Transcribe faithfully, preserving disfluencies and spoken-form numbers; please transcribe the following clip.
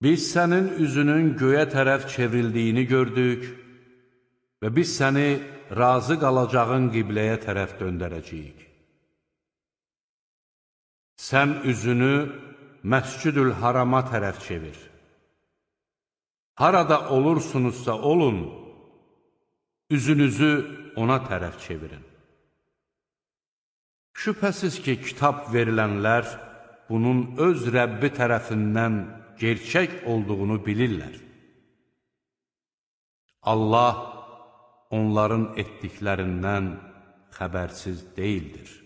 Biz sənin üzünün göyə tərəf çevrildiyini gördük və biz səni razı qalacağın qibləyə tərəf döndərəcəyik. Sən üzünü Məscüdül Harama tərəf çevir. Harada olursunuzsa olun, üzünüzü ona tərəf çevirin. Şübhəsiz ki, kitab verilənlər bunun öz Rəbbi tərəfindən gerçək olduğunu bilirlər. Allah onların etdiklərindən xəbərsiz deyildir.